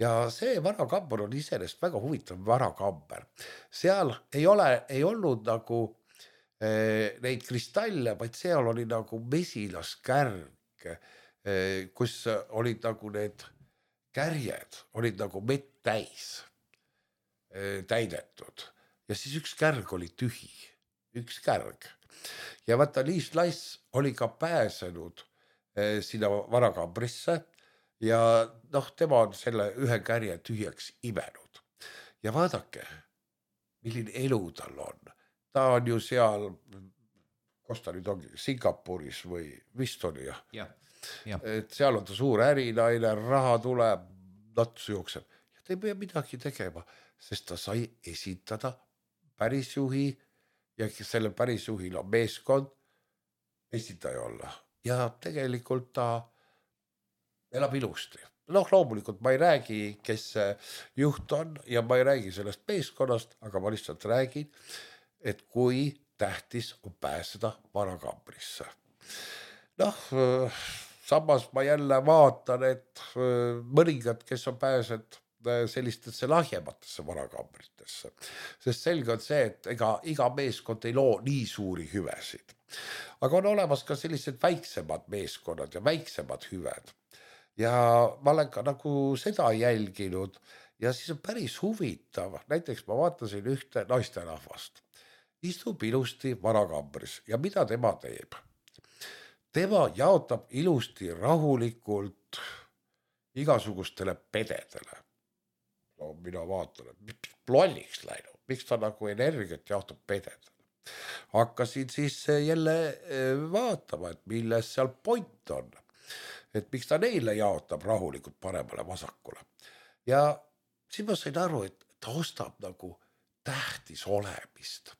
Ja see varakamber on iseenesest väga huvitav varakamber. Seal ei ole, ei olnud nagu eh, neid kristalle, vaid seal oli nagu mesilaskärg, kus olid nagu need kärjed, olid nagu mett täis täidetud. Ja siis üks kärg oli tühi, üks kärg. Ja vaata, Liis Lass oli ka pääsenud sinna varakambrisse ja noh, tema on selle ühe kärje tühjaks imenud. Ja vaadake, milline elu tal on. Ta on ju seal, kus ta nüüd ongi, Singapuris või vist oli jah. Jah. Ja. Et seal on ta suur ärinaine, raha tuleb, natsu jookseb. Ja ta ei pea midagi tegema, sest ta sai esitada pärisjuhi ja selle pärisjuhil on meeskond esitaja olla. Ja tegelikult ta elab ilusti. Noh, loomulikult ma ei räägi, kes juht on ja ma ei räägi sellest meeskonnast, aga ma lihtsalt räägin, et kui tähtis on pääseda varakambrisse. Noh, samas ma jälle vaatan, et mõningad, kes on pääsed sellistesse lahjematesse varakambritesse. Sest selge on see, et ega iga meeskond ei loo nii suuri hüvesid. Aga on olemas ka sellised väiksemad meeskonnad ja väiksemad hüved. Ja ma olen ka nagu seda jälginud ja siis on päris huvitav. Näiteks ma vaatasin ühte naisterahvast. Istub ilusti varakambris ja mida tema teeb? Tema jaotab ilusti rahulikult igasugustele pededele. No mina vaatan, et miks plolliks läinud, miks ta nagu energiat jaotab pededele. Hakkasin siis jälle vaatama, et milles seal point on. Et miks ta neile jaotab rahulikult paremale vasakule. Ja siis ma sain aru, et ta ostab nagu tähtis olemist.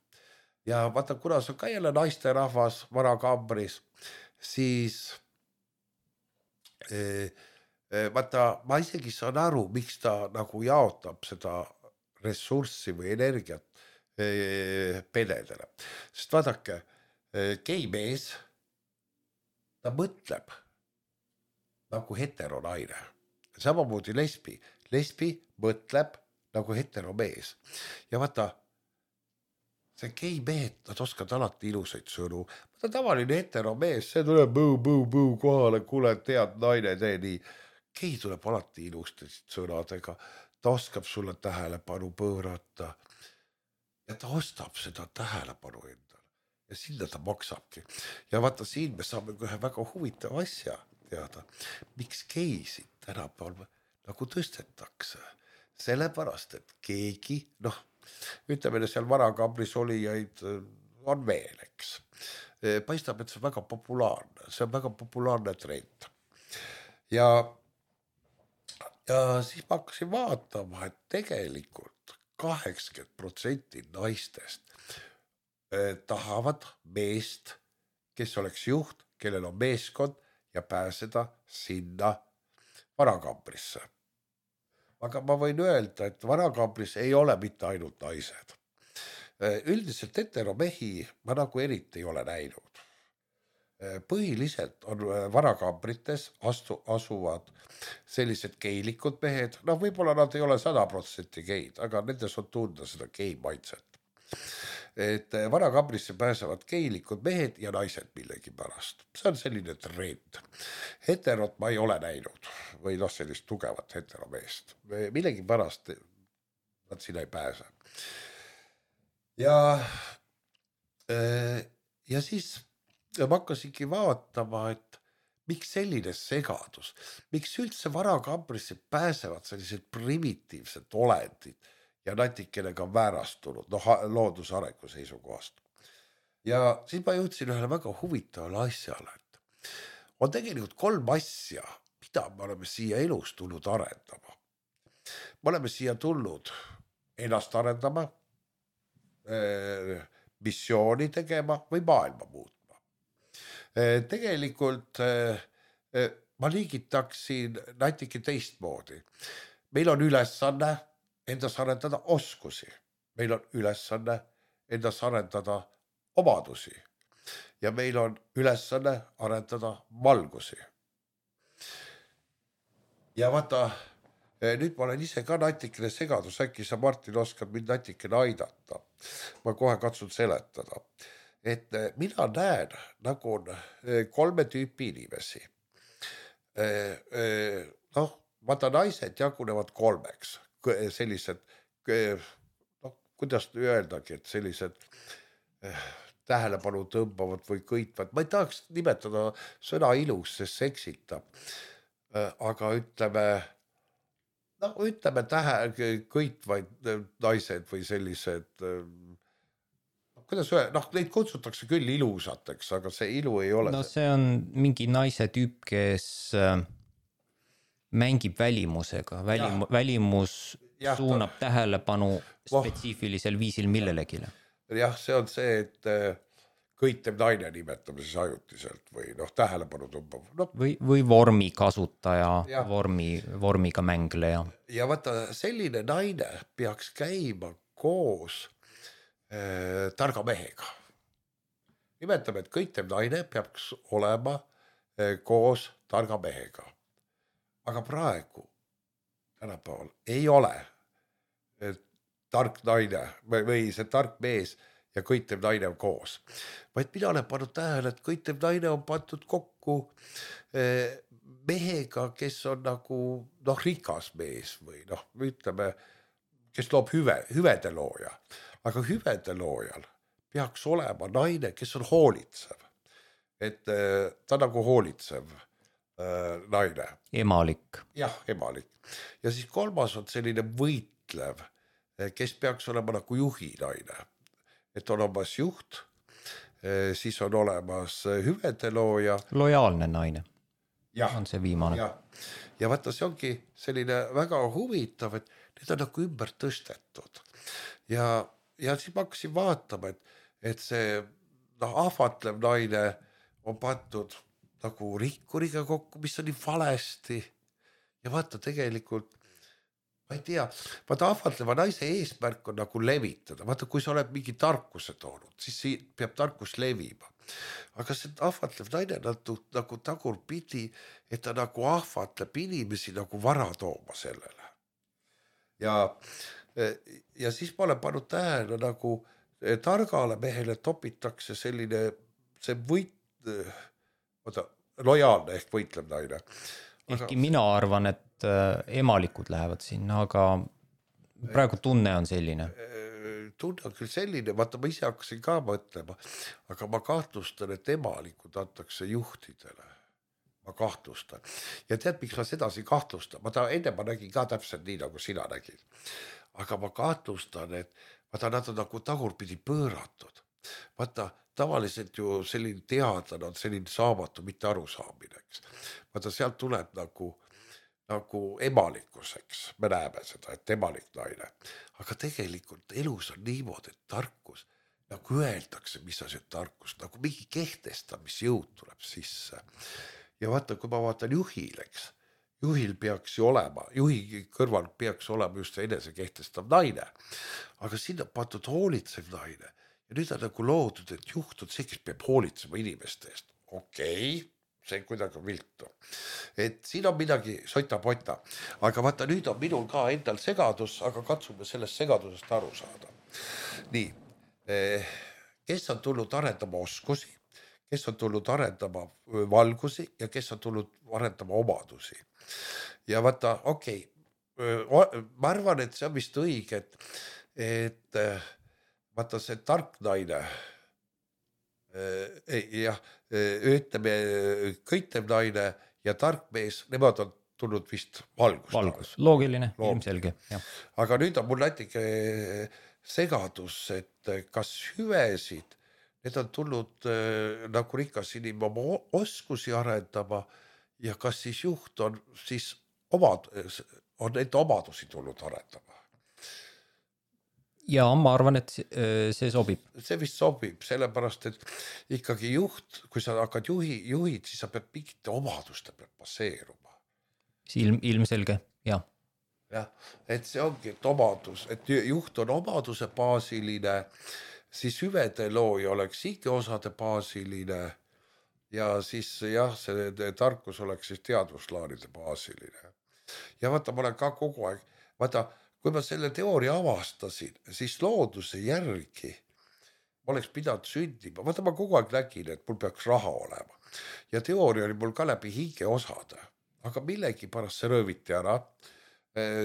Ja vaata, kuna see on ka jälle naisterahvas varakambris, siis eh, vaata, ma isegi saan aru, miks ta nagu jaotab seda ressurssi või energiat pededele. Sest vaadake, geimees, ta mõtleb nagu heteronaine. Samamoodi lesbi. Lesbi mõtleb nagu heteromees. Ja vaata, see geimehed, nad oskavad alati ilusaid sõnu. Ta tavaline heteromees, see tuleb põu, põu, põu kohale, kuule, tead, naine, tee nii. Gei tuleb alati ilustasid sõnadega. Ta oskab sulle tähelepanu pöörata. Ja ta ostab seda tähelepanu endale. Ja sinna ta maksabki. Ja vaata, siin me saame ühe väga huvitava asja teada. Miks geisid tänapäeval nagu tõstetakse? Sellepärast, et keegi, noh, ütleme, seal varakambris olijaid on veel, eks. Paistab, et see on väga populaarne. See on väga populaarne trend. Ja, ja siis ma hakkasin vaatama, et tegelikult kaheksakümmend protsenti naistest eh, tahavad meest, kes oleks juht, kellel on meeskond ja pääseda sinna varakambrisse. Aga ma võin öelda, et varakambris ei ole mitte ainult naised. Eh, üldiselt heteromehi ma nagu eriti ei ole näinud. Põhiliselt on varakambrites astu, asuvad sellised geilikud mehed, noh võib-olla nad ei ole sada protsenti geid, aga nendes on tunda seda gei maitset. Et varakambrisse pääsevad geilikud mehed ja naised millegi pärast. See on selline trend. Heterot ma ei ole näinud või noh sellist tugevat heteromeest. Millegi pärast nad sinna ei pääse. Ja, ja siis ja ma hakkasingi vaatama, et miks selline segadus, miks üldse varakambrisse pääsevad sellised primitiivsed olendid ja natikene ka väärastunud, noh, loodusarengu seisukohast. Ja siis ma jõudsin ühele väga huvitavale asjale, et on tegelikult kolm asja, mida me oleme siia elus tulnud arendama. Me oleme siia tulnud ennast arendama, missiooni tegema või maailma muutma. Tegelikult ma liigitaksin natuke teistmoodi. Meil on ülesanne endas arendada oskusi. Meil on ülesanne endas arendada omadusi. Ja meil on ülesanne arendada valgusi. Ja vaata, nüüd ma olen ise ka natikene segadus. Äkki sa, Martin, oskad mind natikene aidata. Ma kohe katsun seletada. Et mina näen, nagu on kolme tüüpi inimesi. Noh, vaata naised jagunevad kolmeks. Sellised, noh, kuidas öeldagi, et sellised tähelepanu tõmbavad või kõitvad. Ma ei tahaks nimetada sõna ilus, sest seksitab. Aga ütleme, noh, ütleme tähe, kõitvaid naised või sellised... Kuidas öelda, noh, neid kutsutakse küll ilusateks, aga see ilu ei ole. No see on mingi naise tüüp, kes mängib välimusega. Välim, välimus ja, suunab ta... tähelepanu spetsiifilisel viisil millelegi. Jah, see on see, et kõitev naine nimetame siis ajutiselt või noh, tähelepanu tõmbab. No. Või, või vormi kasutaja, vormi, vormiga mängleja. Ja vaata, selline naine peaks käima koos targa mehega. Nimetame, et kõitev naine peaks olema koos targa mehega. Aga praegu, tänapäeval, ei ole tark naine või see tark mees ja kõitev naine on koos. Vaid mina olen pannud tähele, et kõitev naine on pandud kokku mehega, kes on nagu noh, rikas mees või noh, ütleme, kes loob hüve, hüvede looja. Aga hüvede loojal peaks olema naine, kes on hoolitsev. Et ta nagu hoolitsev äh, naine. Emalik. Jah, emalik. Ja siis kolmas on selline võitlev, kes peaks olema nagu juhi naine. Et on olemas juht, siis on olemas hüvede looja. Lojaalne naine. Ja, on see viimane. Ja, ja vaata, see ongi selline väga huvitav, et need on nagu ümber tõstetud. Ja Ja siis ma hakkasin vaatama, et, et see noh, ahvatlev naine on pandud nagu rikkuriga kokku, mis on nii valesti. ja vaata tegelikult, ma ei tea, vaata ahvatleva naise eesmärk on nagu levitada, vaata kui sa oled mingi tarkuse toonud, siis peab tarkus levima. Aga see ahvatlev naine nagu, nagu tagurpidi, et ta nagu ahvatleb inimesi nagu vara tooma sellele. Ja, ja siis ma olen pannud tähele nagu targale mehele topitakse selline, see võit, oota, lojaalne ehk võitlev naine. Ehkki aga... mina arvan, et emalikud lähevad sinna, aga praegu tunne on selline. Tunne on küll selline, vaata ma ise hakkasin ka mõtlema, aga ma kahtlustan, et emalikud antakse juhtidele. Ma kahtlustan. Ja tead, miks ma sedasi kahtlustan? Ma ta, enne ma nägin ka täpselt nii, nagu sina nägid. Aga ma kahtlustan, et vaata, nad on nagu tagurpidi pööratud. Vaata, tavaliselt ju selline teadlane on selline saamatu, mitte arusaamineks. Vaata, sealt tuleb nagu, nagu emalikkuseks. Me näeme seda, et emalik naine. Aga tegelikult elus on niimoodi, et tarkus, nagu öeldakse, mis on see tarkus, nagu mingi kehtestamisjõud tuleb sisse. Ja vaata, kui ma vaatan juhileks, juhil peaks ju olema, juhi kõrval peaks olema just see enese kehtestav naine. Aga sinna patud hoolitsev naine. Ja nüüd on nagu loodud, et juht on see, kes peab hoolitsema inimeste eest. Okei, see kuidagi viltu. Et siin on midagi sota-pota. Aga vaata, nüüd on minul ka endal segadus, aga katsume sellest segadusest aru saada. Nii, kes on tulnud arendama oskusi, kes on tulnud arendama valgusi ja kes on tulnud arendama omadusi. Ja vaata, okei, okay, ma arvan, et see on vist õige, et, et vaata see tark naine, jah, ütleme kõitev naine ja tark mees, nemad on tulnud vist valgust. Valgus, loogiline, ilmselge. Ja. Aga nüüd on mul natuke segadus, et kas hüvesid, need on tulnud äh, nagu rikas inim oma oskusi arendama ja kas siis juht on siis omad, on need omadusi tulnud arendama. Ja ma arvan, et see sobib. See vist sobib, sellepärast, et ikkagi juht, kui sa hakkad juhi, juhid, siis sa pead mingite omaduste pealt baseeruma. Ilm, ilmselge, jah. Jah, et see ongi, et omadus, et juht on omaduse baasiline, siis hüvede looja oleks ikka osade baasiline ja siis jah, see tarkus oleks siis teadvuslaanide baasiline. Ja vaata, ma olen ka kogu aeg, vaata, kui ma selle teooria avastasin, siis looduse järgi ma oleks pidanud sündima. Vaata, ma kogu aeg nägin, et mul peaks raha olema. Ja teooria oli mul ka läbi hinge osade, aga millegi pärast see rööviti ära,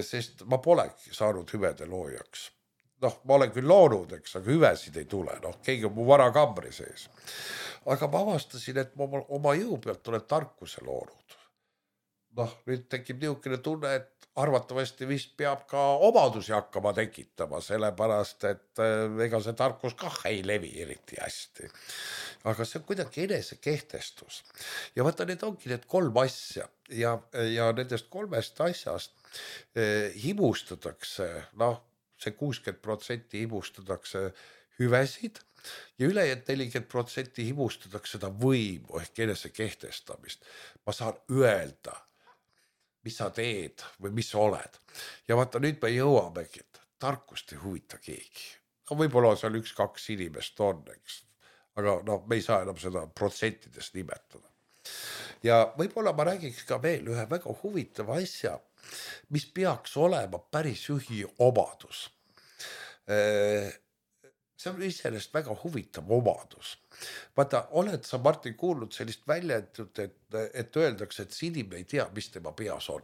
sest ma polegi saanud hüvede loojaks. Noh, ma olen küll loonud, eks, aga hüvesid ei tule. Noh, keegi on mu vara kambri sees. Aga ma avastasin, et ma oma jõu pealt olen tarkuse loonud. Noh, nüüd tekib niisugune tunne, et arvatavasti vist peab ka omadusi hakkama tekitama, sellepärast, et ega see tarkus kah ei levi eriti hästi. Aga see on kuidagi enese kehtestus. Ja vaata, need ongi need kolm asja ja, ja nendest kolmest asjast eh, himustatakse, noh, see kuuskümmend protsenti himustatakse hüvesid ja ülejäänud nelikümmend protsenti himustatakse seda võimu ehk enese kehtestamist. Ma saan öelda, mis sa teed või mis sa oled. Ja vaata, nüüd me jõuamegi, et tarkust ei huvita keegi. No võib-olla seal üks, kaks inimest on, eks. Aga no, me ei saa enam seda protsentidest nimetada. Ja võib-olla ma räägiks ka veel ühe väga huvitava asja, mis peaks olema päris juhi omadus. See on iseenesest väga huvitav omadus. Vaata, oled sa, Martin, kuulnud sellist väljendut, et, et öeldakse, et see inimene ei tea, mis tema peas on?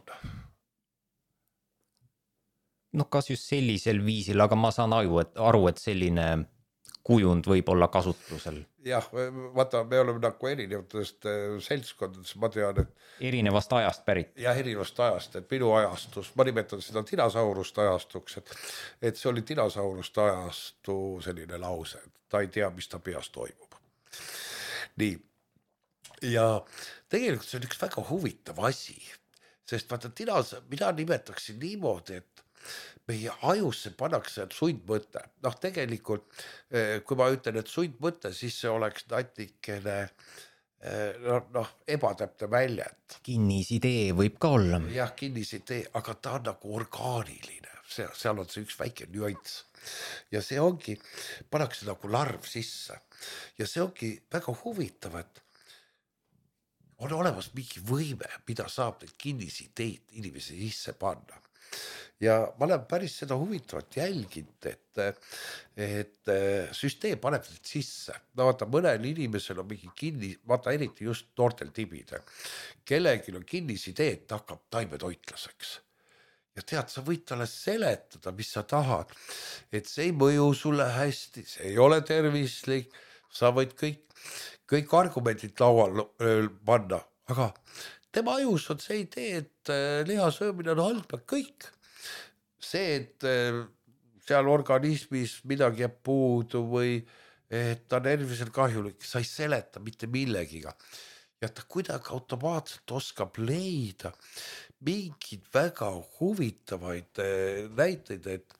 No kas just sellisel viisil, aga ma saan aru, et, aru, et selline kujund võib olla kasutusel. Jah, vaata, me oleme nagu erinevatest seltskondadest, ma tean, et... Erinevast ajast pärit. Jah, erinevast ajast, et minu ajastus, ma nimetan seda dinosauruste ajastuks, et, et see oli dinosauruste ajastu selline lause, et ta ei tea, mis ta peas toimub. Nii, ja tegelikult see on üks väga huvitav asi, sest vaata, dinos, mina nimetaksin niimoodi, et meie ajusse pannakse sundmõte. Noh, tegelikult, kui ma ütlen, et sundmõte, siis see oleks natikene no, noh, ebatäpne väljend. Kinnisidee võib ka olla. Jah, kinnisidee, aga ta on nagu orgaaniline. See, seal on see üks väike nüanss. Ja see ongi, pannakse nagu larv sisse. Ja see ongi väga huvitav, et on olemas mingi võime, mida saab neid kinnisideed inimese sisse panna. Ja ma olen päris seda huvitavat jälginud, et, et süsteem paneb neid sisse. No vaata, mõnel inimesel on mingi kinni, vaata eriti just noortel tibide, kellelgi on kinnisidee, et hakkab taimetoitlaseks. Ja tead, sa võid talle seletada, mis sa tahad, et see ei mõju sulle hästi, see ei ole tervislik, sa võid kõik, kõik argumendid laual panna, aga tema ajus on see idee, et liha söömine on halb, kõik. See, et seal organismis midagi jääb puudu või et ta on tervisel kahjulik, sa ei seleta mitte millegiga. Ja ta kuidagi automaatselt oskab leida mingid väga huvitavaid näiteid, et,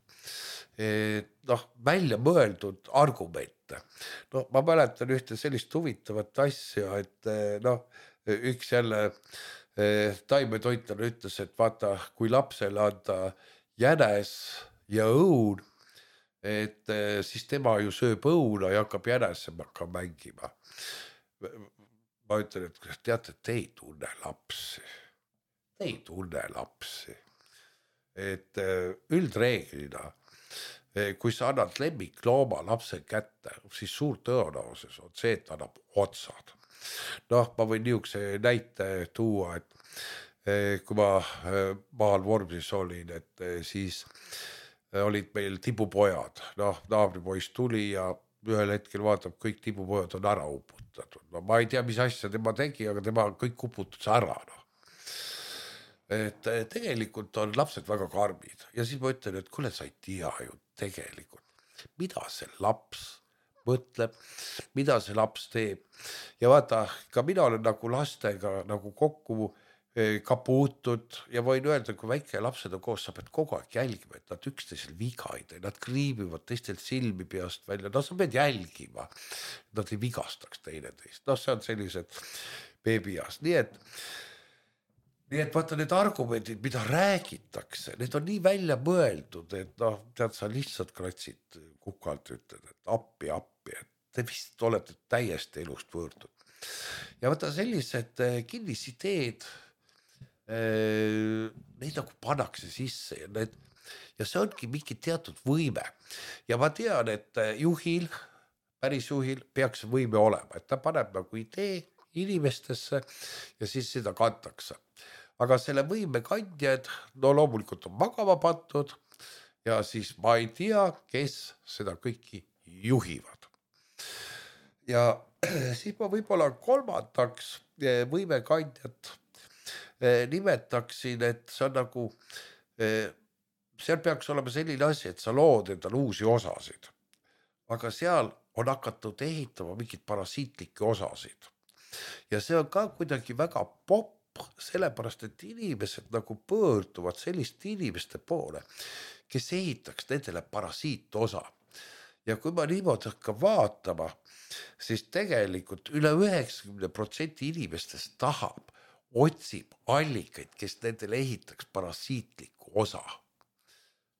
et noh, välja mõeldud argumente. No, ma mäletan ühte sellist huvitavat asja, et noh, üks jälle taimetoitlane ütles, et vaata, kui lapsele anda jänes ja õun, et siis tema ju sööb õuna ja hakkab jänesemaga mängima. Ma ütlen, et teate, te ei tunne lapsi. Te ei tunne lapsi. Et üldreeglina, kui sa annad lemmiklooma lapse kätte, siis suur tõenäosus on see, et annab otsad. Noh, ma võin niisuguse näite tuua, et kui ma maal Vormsis olin, et siis olid meil tibupojad. Noh, naabripoiss tuli ja ühel hetkel vaatab, kõik tibupojad on ära uputatud. No ma ei tea, mis asja tema tegi, aga tema kõik uputus ära. No. Et tegelikult on lapsed väga karmid. Ja siis ma ütlen, et kuule, sa ei tea ju tegelikult, mida see laps mõtleb, mida see laps teeb. Ja vaata, ka mina olen nagu lastega nagu kokku ka puutud ja võin öelda, kui väike lapsed on koos, sa pead kogu aeg jälgima, et nad üksteisel viga ei tee, nad kriibivad teistel silmi peast välja, no sa pead jälgima, nad ei vigastaks teineteist, noh, see on sellised beebias, nii et nii et vaata need argumendid, mida räägitakse, need on nii välja mõeldud, et noh, tead, sa lihtsalt kratsid kukalt, ütled, et appi, appi, et te vist olete täiesti elust võõrdud. Ja vaata sellised kinnisideed, neid nagu pannakse sisse ja, need, ja see ongi mingi teatud võime. Ja ma tean, et juhil, päris juhil peaks võime olema, et ta paneb nagu idee inimestesse ja siis seda kantakse. Aga selle võime kandjad, no loomulikult on magama pandud ja siis ma ei tea, kes seda kõiki juhivad. Ja siis ma võib-olla kolmandaks võime kandjat nimetaksin, et see on nagu, seal peaks olema selline asi, et sa lood endal uusi osasid, aga seal on hakatud ehitama mingid parasiitlikke osasid. Ja see on ka kuidagi väga popp, sellepärast, et inimesed nagu pöörduvad selliste inimeste poole, kes ehitaks nendele parasiitosa. Ja kui ma niimoodi hakkan vaatama, siis tegelikult üle üheksakümmend protsenti inimestest tahab, otsib allikaid, kes nendele ehitaks parasiitlikku osa.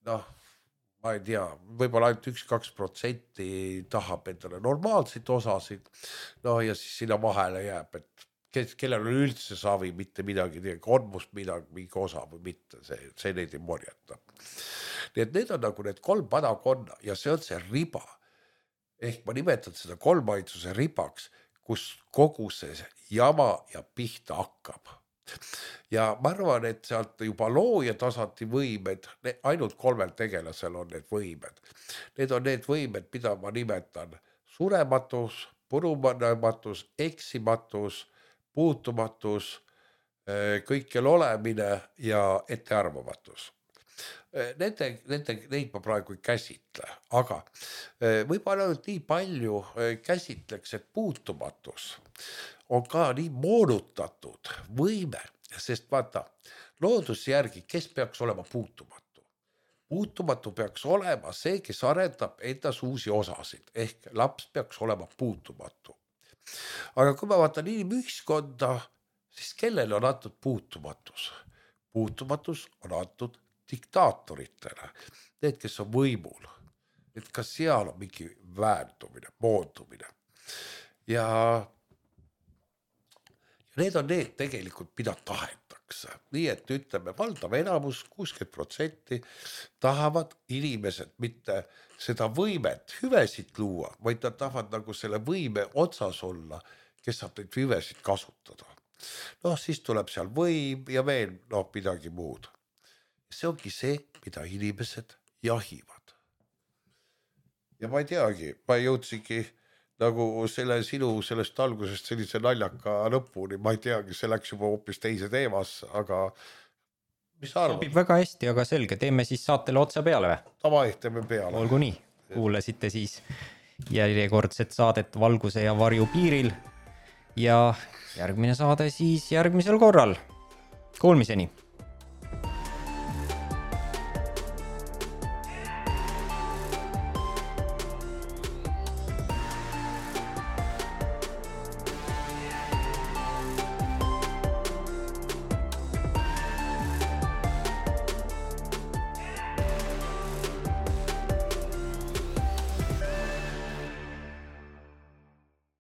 Noh, ma ei tea, võib-olla ainult üks kaks protsenti tahab endale normaalseid osasid, no ja siis sinna vahele jääb, et kes, kellel on üldse savi, mitte midagi, on must midagi, mingi osa või mitte, see, see neid ei morjata. Nii et need on nagu need kolm padakonna ja see on see riba. Ehk ma nimetan seda kolmaidsuse ribaks, kus kogu see jama ja pihta hakkab. Ja ma arvan, et sealt juba looja tasandi võimed, ainult kolmel tegelasel on need võimed. Need on need võimed, mida ma nimetan surematus, purunematus, eksimatus, puutumatus, kõikjal olemine ja ettearvamatus. Nende, nende, neid ma praegu ei käsitle, aga võib-olla ainult nii palju käsitleks, et puutumatus on ka nii moonutatud võime, sest vaata, looduse järgi, kes peaks olema puutumatu? Puutumatu peaks olema see, kes arendab endas uusi osasid, ehk laps peaks olema puutumatu. aga kui ma vaatan inimühiskonda, siis kellele on antud puutumatus? Puutumatus on antud diktaatoritele, need, kes on võimul. Et ka seal on mingi väärtumine, moondumine. Ja, ja need on need tegelikult, mida tahetakse. Nii et ütleme, valdav enamus, kuuskümmend protsenti tahavad inimesed mitte seda võimet, hüvesid luua, vaid nad tahavad nagu selle võime otsas olla, kes saab neid hüvesid kasutada. Noh, siis tuleb seal võim ja veel noh, midagi muud. See ongi see, mida inimesed jahivad. Ja ma ei teagi, ma jõudsigi nagu selle sinu sellest algusest sellise naljaka lõpuni, ma ei teagi, see läks juba hoopis teise teemasse, aga mis sa arvad? Sobib väga hästi, aga selge, teeme siis saatele otsa peale või? Tavai, teeme peale. Olgu nii, kuulasite siis järjekordset saadet Valguse ja varju piiril ja järgmine saade siis järgmisel korral. Kuulmiseni!